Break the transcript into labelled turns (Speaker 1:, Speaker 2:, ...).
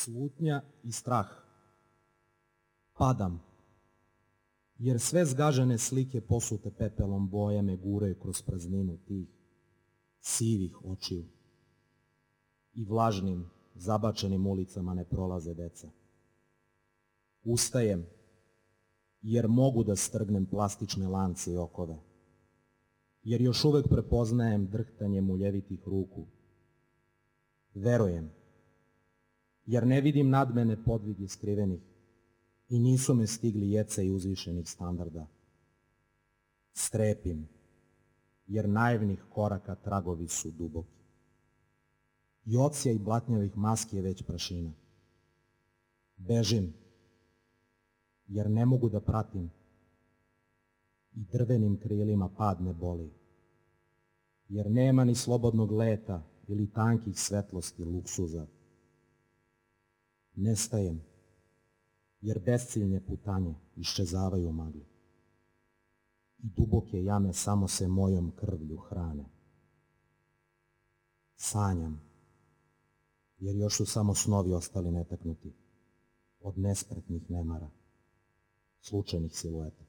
Speaker 1: Slutnja i strah. Padam, jer sve zgažene slike posute pepelom boje me guraju kroz prazninu tih sivih očiju. I vlažnim, zabačenim ulicama ne prolaze deca. Ustajem, jer mogu da strgnem plastične lance i okove. Jer još uvek prepoznajem drhtanje muljevitih ruku. Verujem, jer ne vidim nad mene podvige skrivenih i nisu me stigli jeceji uzvišenih standarda. Strepim, jer naivnih koraka tragovi su duboki. I odsjaj blatnjavih maski je već prašina. Bežim, jer ne mogu da pratim i drvenim krilima pad ne boli. Jer nema ni slobodnog leta ili tankih svetlosti luksuza. Nestajem, jer besciljne putanje iščezavaju u magli. I duboke jame samo se mojom krvlju hrane. Sanjam, jer još su samo snovi ostali netaknuti od nespretnih nemara, slučajnih silueta.